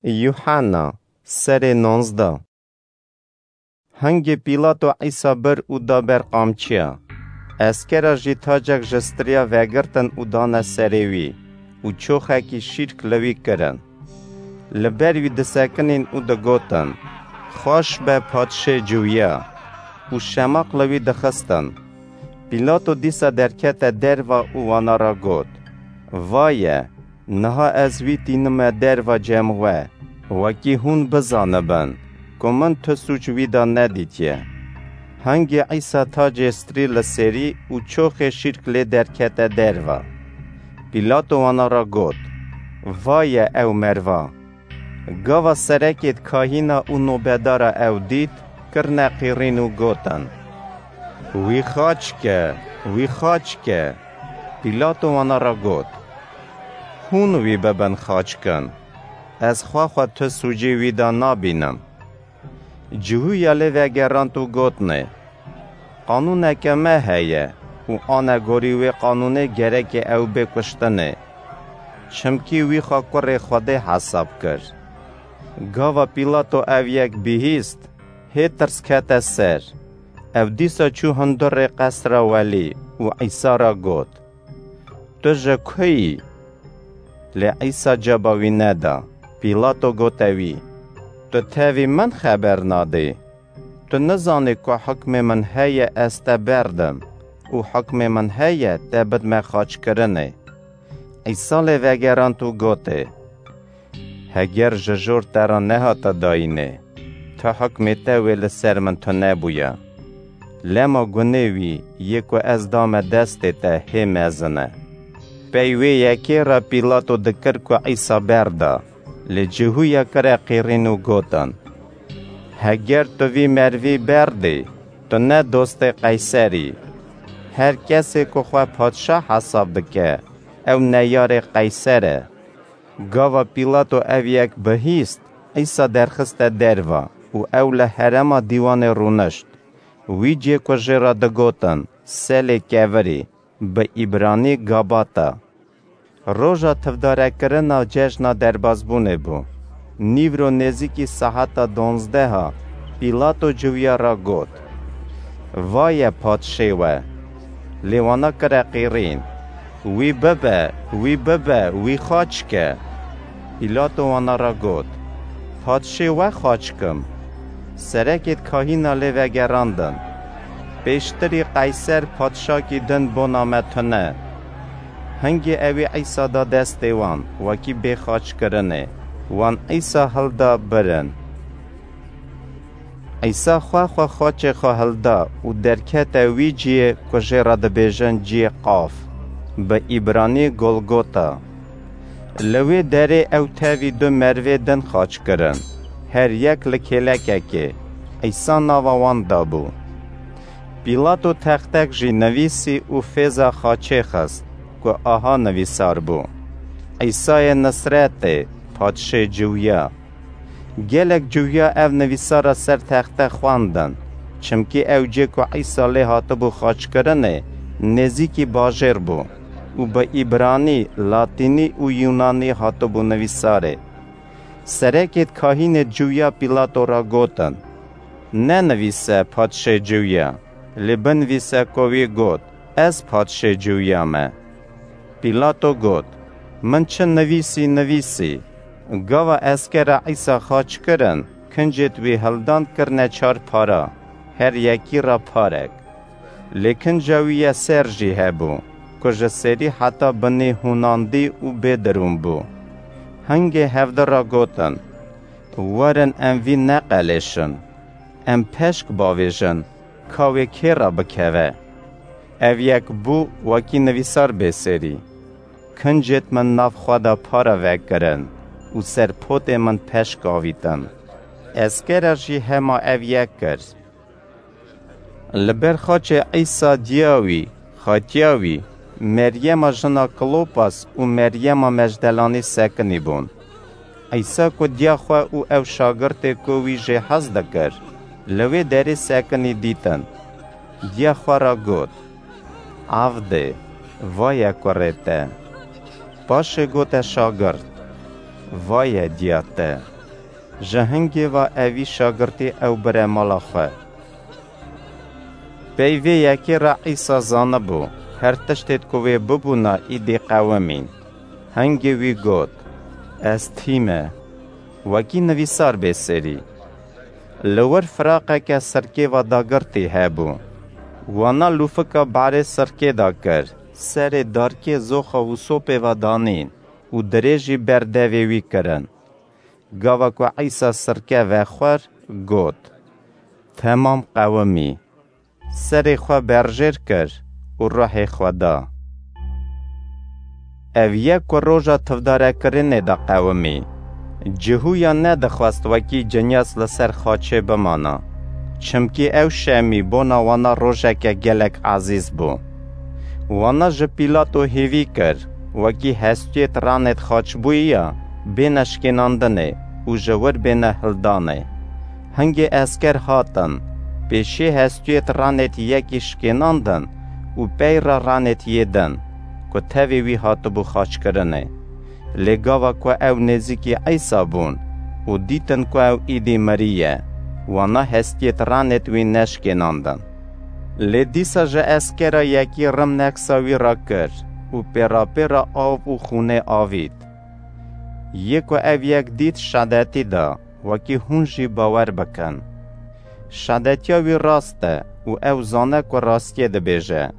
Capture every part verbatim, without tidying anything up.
Yuhanna, serê nonzdeh. Hingê Pîlato Îsa bir û da ber qamçiya. Eskera jî tacek ji striya vegirtin û dane serê wî û çoxekî şîrk li wî kirin. Li ber wî disekinîn û digotin, "Xweş be padşê Ciwiya." Û şemaq li wî dixistin. Pîlato dîsa derkete derva û wana re got, "Vaye, niha ez wî tînime derva cem we, wekî hûn bizanibin ku min tu sûc wî de nedîtiye." Hingê Îsa tacê strî li serî û çoxê şîrk lê derkete derva. Pîlato wana re got, "Vaye ew merva." Gava serekêd kahîna û nobedara ew dît, kirine qîrîn û gotin, "Wî xaç ke, wî xaç ke." Pîlato wana re got, "Hûn wî bibin xaç kin. Ez xwe xwe tu sûcê wî de nabînim." Cihûya lê vegerand û gotnê, "Qanûneke me heye û anegorî wê qanûnê gereke ew bê kuştinê. Çimkî wî xwe kurê Xwedê hesab kir." Gava Pîlato ev yek bihîst, hê tirs kete ser. Ew dîsa çû hundirê qesra welî û Îsa re got, "Tu ji ku yî?" Lê Îsa caba wî neda. Pîlato gote wî, "Tu tevî min xeber nadî? Tu nizanî ku hukmê min heye ez te berdim û hukmê min heye te bidme xaçkirinê?" Îsa lê vegerand û gotê, "Heger ji jor te re nehate dayînê, tu hukmê te wê li ser min tune bûya. Lema gunê wî yê ku ez dame destê te hê mezin e." Pey wê yekê re Pîlato dikir ku Îsa berda, lê cihûya kire qîrîn û gotin, "Heger tu vî mervî berdî, tu ne dostê Qeyser î. Her kesê ku xwe padşah hesab dike, ew neyarê Qeyser e." Gava Pîlato ev yek bihîst, Îsa derxiste derva û ew li herêma dîwanê rûnişt. Wî cê ku jê re digotin Selê Kevirî, bi îbranî Gabata. Roja tivdarekirina cejna derbazbûnê bû. Nîvro nêzîkî saeta donzdeha Pîlato ciwiya re got, "Vaye padşê we!" Lê wana kire qîrîn, "Wî bibe, wî bibe, wî xaç ke!" Pîlato wana re got, "Padşê we xaç kim?" Serekêd kahîna lê vegerandin, "Pêştirî Qeyser padşakî din bona me tune." Hingê ewî Îsa da destê wan, wekî bê xaçkirinê, wan Îsa hilda birin. Îsa xwe xwe xaçê xwe hilda û derkete wî ciyê ku jê re dibêjin ciyê Qaf, bi îbranî Golgota. Li wê derê ew tevî du mervê din xaç kirin, her yek li kêlekekê, Îsa nava wan dabû. Pîlato textek jî nivîsî û fêza xaçê xist ku aha nivîsar bû, "Îsayê Nisretê, padşê Ciwiya." Gelek Ciwiya ev nivîsara ser texte xwendin, çimkî ew cê ku Îsa lê hatibû xaçkirinê nêzîkî bajêr bû û bi îbranî, latînî û yûnanî hatibû nivîsarê. Serekêd kahînê Ciwiya Pîlato re gotin, "Nenivîse padşê Ciwiya, lê binivîse ku wî got, 'Ez padşê Ciwiya me.'" Pîlato got, "Min çi nivîsî, nivîsî." Gava eskera Îsa xaç kirin, kincêd wî hildan kirine çar para, her yekî re parek. Lê kinca wî ye ser jî hebû, ku ji serî heta binî hûnandî û bêdirûn bû. Hingê hevdi re gotin, "Werin em vî neqelêşin, em peşk bavêjin, ka wê kê re bikeve." Ev yek bû wekî nivîsar bê serî, "Kincêd min nav xwe de para vekirin û serpotê min peşk avîtin." Eskera jî hema ev yek kir. Li ber xaçê Îsa diya wî, xatiya wî, Meryema jina Klopas û Meryema Mejdelanî sekinî bûn. Îsa ku diya xwe û ew şagirtê ku wî jê hez dikir, li wê derê sekinî dîtin, diya xwe re got, "Avdê, vaye kurê te." Paşê gote şagirt, Vaye diya te! Ji hingê ve evî şagirtî ew bire mala xwe. Pey vê yekê re Îsa zanibû, her tiştêd ku wê bibûna îdî qewimîn. Hingê wî got, Ez tî me, wekî nivîsar bê serî. Li wir firaqeke sirkê ve dagirtî hebû. Wana lûfika barê sirkê de kir, serê darkê zoxa wisopê ve danîn û dirêjî ber devê wî kirin. Gava ku Îsa sirke vexwar, got, Temam qewimî. Serê xwe berjêr kir û ruhê xwe da. Ev ye ku roja tivdarekirinê de qewimî. Cihûya nedixwest wekî cinyas li ser xaçê bimana, çimkî ew şemî bona wana rojeke gelek ezîz bû. Wana ji Pîlato hêvî kir, wekî hestiyê tiranêd xaçbûyiya bêne şkênandinê û ji wir bêne hildanê. Hingê esker hatin, pêşiyê hestiyê tiranêd yekî şkênandin û pey re ranêd yê din, ku tevê wî hatibû xaçkirinê. Lê gava ku ew nêzîkî Îsa bûn û dîtin ku ew îdî mirî ye, wana hestiyê tiranêd wî neşkênandin. Lê dîsa ji eskera yekî rim neksa wî re kir û pêrapêra av û xûnê avît. Yê ku ev yek dît şadetî da, wekî hûn jî bawer bikin. Şadetiya wî rast e û ew zane ku rastiyê dibêje.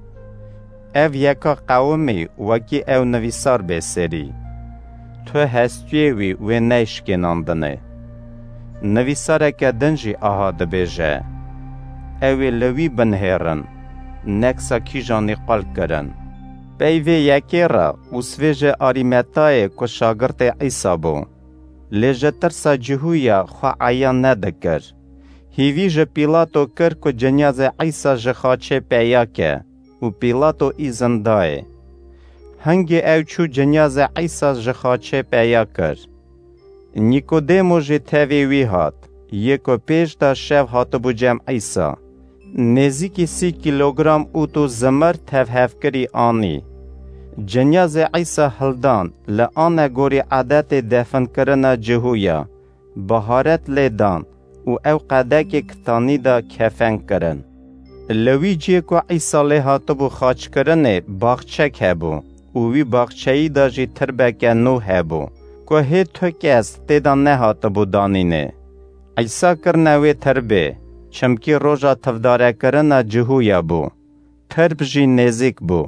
Ev yeka qewimî wekî ew nivîsar bê serî. Tu hestiyê wî wê neyşkênandinê. Nivîsareke din jî aha dibêje, Ew ê li wî binihêrin, neksa kîjanî qal kirin. Pey vê yekê re Ûsvê ji Arîmetayê ku şagirtê Îsa bû, lê ji tirsa Cihûya xwe eyan nedikir. Hîvî ji Pîlato kir ku cinyazê Îsa ji xaçê peya ke û Pîlato îzin dayê. Hingê ew çû cinyazê Îsa ji xaçê peya kir. Nîkodêmo jî tevê wî hat, yê ku pêş de şev hatibû cem Îsa. Nêzîkî sî kîlogram ût û zimir tevhevkirî anî. Cinyazê Îsa hildan, li anegorî edetê definkirina Cihûya, biharet lê dan û ew qedekê kitanî de kefen kirin. Li wî ciyê ku Îsa lê hatibû xaçkirinê baxçek hebû û wî baxçeyî de jî tirbeke nû hebû, ku hê tu kes tê de nehatibû danînê. Îsa kirine wê tirbê, çimkî roja tivdarekirina Cihûya bû. Tirb jî nêzîk bû.